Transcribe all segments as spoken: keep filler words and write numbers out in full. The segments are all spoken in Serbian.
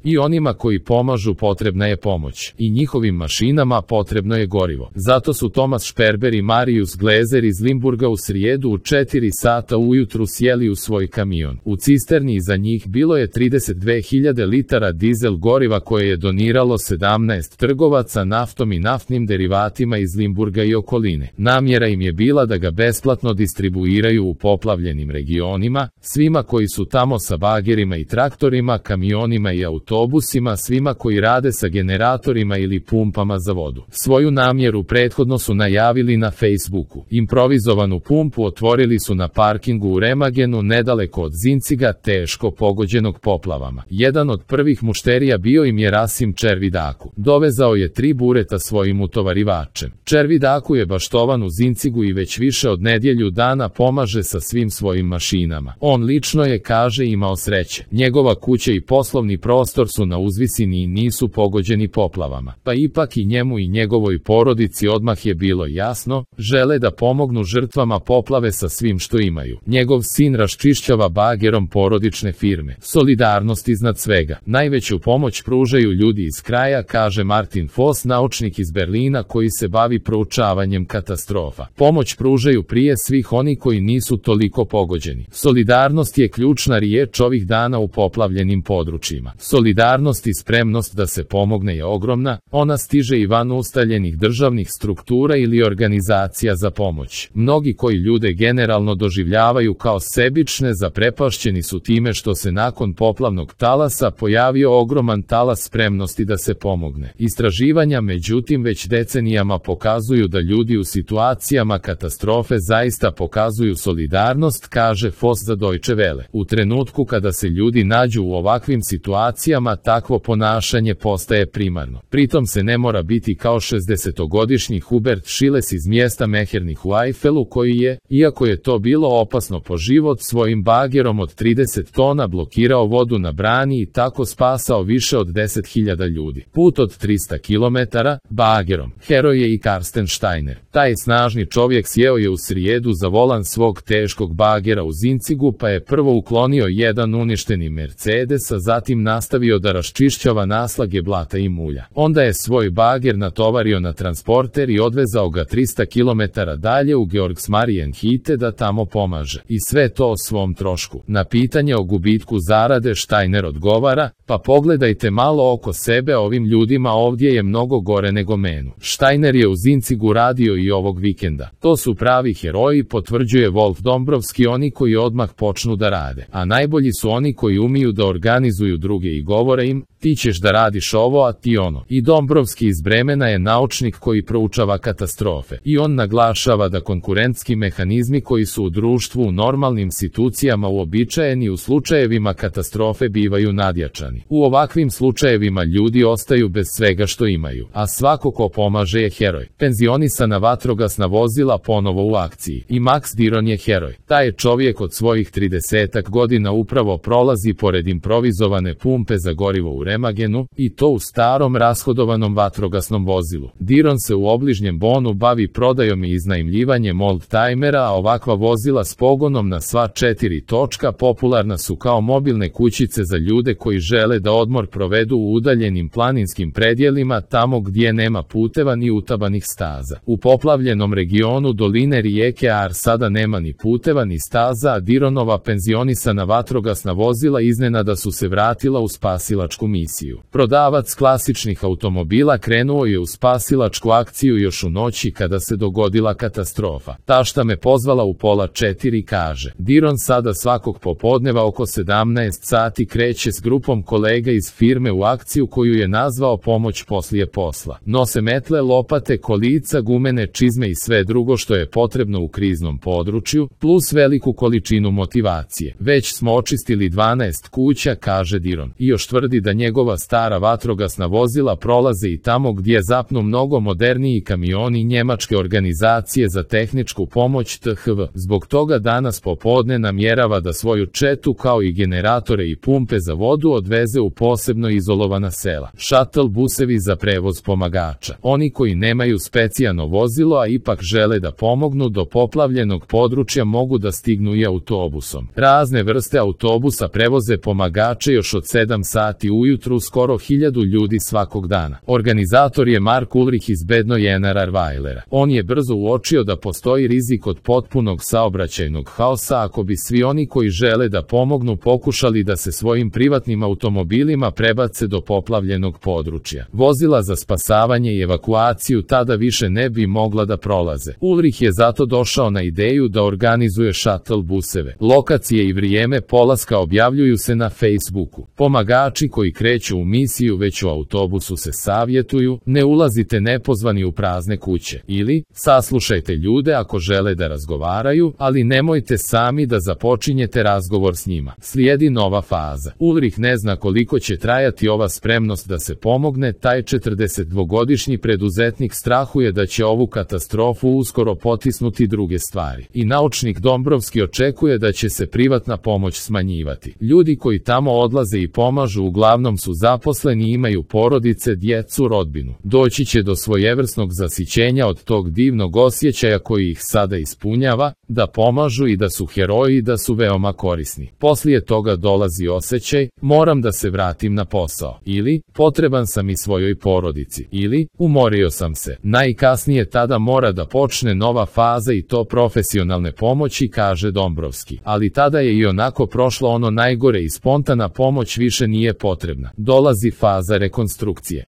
I onima koji pomažu potrebna je pomoć. I njihovim mašinama potrebno je gorivo. Zato su Thomas Sperber i Marius Glezer iz Limburga u srijedu u četiri sata ujutru sjeli u svoj kamion. U cisterni iza njih bilo je trideset dve hiljade litara dizel goriva koje je doniralo sedamnaest trgovaca naftom i naftnim derivatima iz Limburga i okoline. Namjera im je bila da ga besplatno distribuiraju u poplavljenim regionima, svima koji su tamo sa bagerima i traktorima, kamionima i autobusima, svima koji rade sa generatorima ili pumpama za vodu. Svoju namjeru prethodno su najavili na Facebooku. Improvizovanu pumpu otvorili su na parkingu u Remagenu nedaleko od Zinciga, teško pogođenog poplavama. Jedan od prvih mušterija bio im je Rasim Červidaku. Dovezao je tri bureta svojim utovarivačem. Červidaku je baštovan u Zincigu i već više od nedjelju dana pomaže sa svim svojim mašinama. On lično je, kaže, imao sreće. Njegova kuća i poslovni prostor su na uzvisini i nisu pogođeni poplavama. Pa ipak i njemu i njegovoj porodici odmah je bilo jasno, žele da pomognu žrtvama poplave sa svim što imaju. Njegov sin raščišćava bagerom porodične firme. Solidarnost iznad svega. Najveću pomoć pružaju ljudi iz kraja, kaže Martin Foss, naučnik iz Berlina koji se bavi proučavanjem katastrofa. Pomoć pružaju prije svih oni koji nisu toliko pogođeni. Solidarnost je ključna riječ ovih dana u poplavljenim područjima. Solidarnost i spremnost da se pomogne je ogromna, ona stiže i van ustaljenih državnih struktura ili organizacija za pomoć. Mnogi koji ljude generalno doživljavaju kao sebične zaprepašćeni su time što se nakon poplavnog talasa pojavio ogroman talas spremnosti da se pomogne. Istraživanja međutim već decenijama pokazuju da ljudi u situacijama katastrofe zaista pokazuju solidarnost, kaže Foss za Deutsche Welle. U trenutku kada se ljudi nađu u ovakvim situacijama, takvo ponašanje postaje primarno. Pritom se ne mora biti kao šezdesetogodišnji Hubert Schiles iz mjesta Mehernih u Eifelu koji je, iako je to bilo opasno po život, svojim bagerom od trideset tona blokirao vodu na brani i tako spasao više od deset hiljada ljudi. Put od trista kilometara, bagerom. Heroj je i Karsten Steiner. Taj snažni čovjek sjeo je u srijedu za volan svog teškog bagera u Zincigu pa je prvo uklonio jedan uništeni Mercedes, a zatim nastavio da raščišćava naslage blata i mulja. Onda je svoj bager natovario na transporter i odvezao ga trista kilometara dalje u Georgsmarienhütte da tamo pomaže. I sve to o svom trošku. Na pitanje o gubitku zarade Steiner odgovara, pa pogledajte malo oko sebe, ovim ljudima ovdje je mnogo gore nego menu. Steiner je u Zincigu radio i ovog vikenda. To su pravi heroji, potvrđuje Wolf Dombrovski, oni koji odmah počnu da rade. A najbolji su oni koji umiju da organizuju druge i govore im, ti ćeš da radiš ovo, a ti ono. I Dombrovski iz Bremena je naučnik koji proučava katastrofe. I on naglašava da konkurentski mehanizmi koji su u društvu u normalnim situacijama uobičajeni u slučajevima katastrofe bivaju nadjačani. U ovakvim slučajevima ljudi ostaju bez svega što imaju, a svako ko pomaže je heroj. Penzionisana vatrogasna vozila ponovo u akciji. I Max Diron je heroj. Taj čovjek od svojih tridesetak godina upravo prolazi pored improvizovane pumpe za gorivo u Remagenu, i to u starom rashodovanom vatrogasnom vozilu. Diron se u obližnjem Bonu bavi prodajom i iznajmljivanjem oldtimera, a ovakva vozila s pogonom na sva četiri točka popularna su kao mobilne kućice za ljude koji žele da odmor provedu u udaljenim planinskim predjelima, tamo gdje nema puteva ni utabanih staza. U poplavljenom regionu doline rijeke Ar sada nema ni puteva ni staza, a Dironova penzionisana vatrogasna vozila iznenada su se vratila u spasilačku misiju. Prodavac klasičnih automobila krenuo je u spasilačku akciju još u noći kada se dogodila katastrofa. Tašta me pozvala u pola četiri, kaže. Diron sada svakog popodneva oko sedamnaest sati kreće s grupom kolega iz firme u akciju koju je nazvao pomoć poslije posla. Nose metle, lopate, kolica, gumene čizme i sve drugo što je potrebno u kriznom području, plus veliku količinu motivacije. Već smo očistili dvanaest kuća, kaže Diron. I još tvrdi da njegova stara vatrogasna vozila prolaze i tamo gdje zapnu mnogo moderniji kamioni njemačke organizacije za tehničku pomoć T H V. Zbog toga danas popodne namjerava da svoju četu kao i generatore i pumpe za vodu odveze u posebno izolovana sela. Shuttle busevi za prevoz pomagača. Oni koji nemaju specijalno vozilo, a ipak žele da pomognu do poplavljenog područja, mogu da stignu i autobusom. Razne vrste autobusa prevoze pomagače još od sedam sati ujutru skoro hiljadu ljudi svakog dana. Organizator je Mark Ulrich iz Bedno Generarweilera. On je brzo uočio da postoji rizik od potpunog saobraćajnog haosa ako bi svi oni koji žele da pomognu pokušali da se svojim privatnim automobilima prebace do poplavljenog područja. Vozila za spasavanje i evakuaciju tada više ne bi mogla da prolaze. Ulrich je zato došao na ideju da organizuje shuttle buseve. Lokacije i vrijeme polaska objavljuju se na Facebooku. Pomagači koji kreću u misiju već u autobusu se savjetuju: ne ulazite nepozvani u prazne kuće, ili saslušajte ljude ako žele da razgovaraju, ali nemojte sami da započinjete razgovor s njima. Slijedi nova faza. Ulrich ne zna koliko će trajati ova spremnost da se pomogne. Taj četrdesetdvogodišnji preduzetnik strahuje da će ovu katastrofu uskoro potisnuti druge stvari. I naučnik Dombrovski očekuje da će se privatna pomoć smanjivati. Ljudi koji tamo odlaze i pomažu uglavnom su zaposleni i imaju porodice, djecu, rodbinu. Doći će do svojevrsnog zasićenja od tog divnog osjećaja koji ih sada ispunjava, da pomažu i da su heroji i da su veoma korisni. Poslije toga dolazi osjećaj: moram da se vratim na posao, ili potreban sam i svojoj porodici, ili umorio sam se. Najkasnije tada mora da počne nova faza, i to profesionalne pomoći, kaže Dombrovski. Ali tada je i onako prošlo ono najgore i spontana pomoć više nije potrebna. Dolazi faza rekonstrukcije.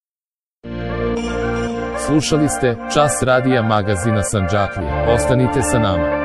Slušali ste Čas radija magazina Sandžaklija. Ostanite sa nama.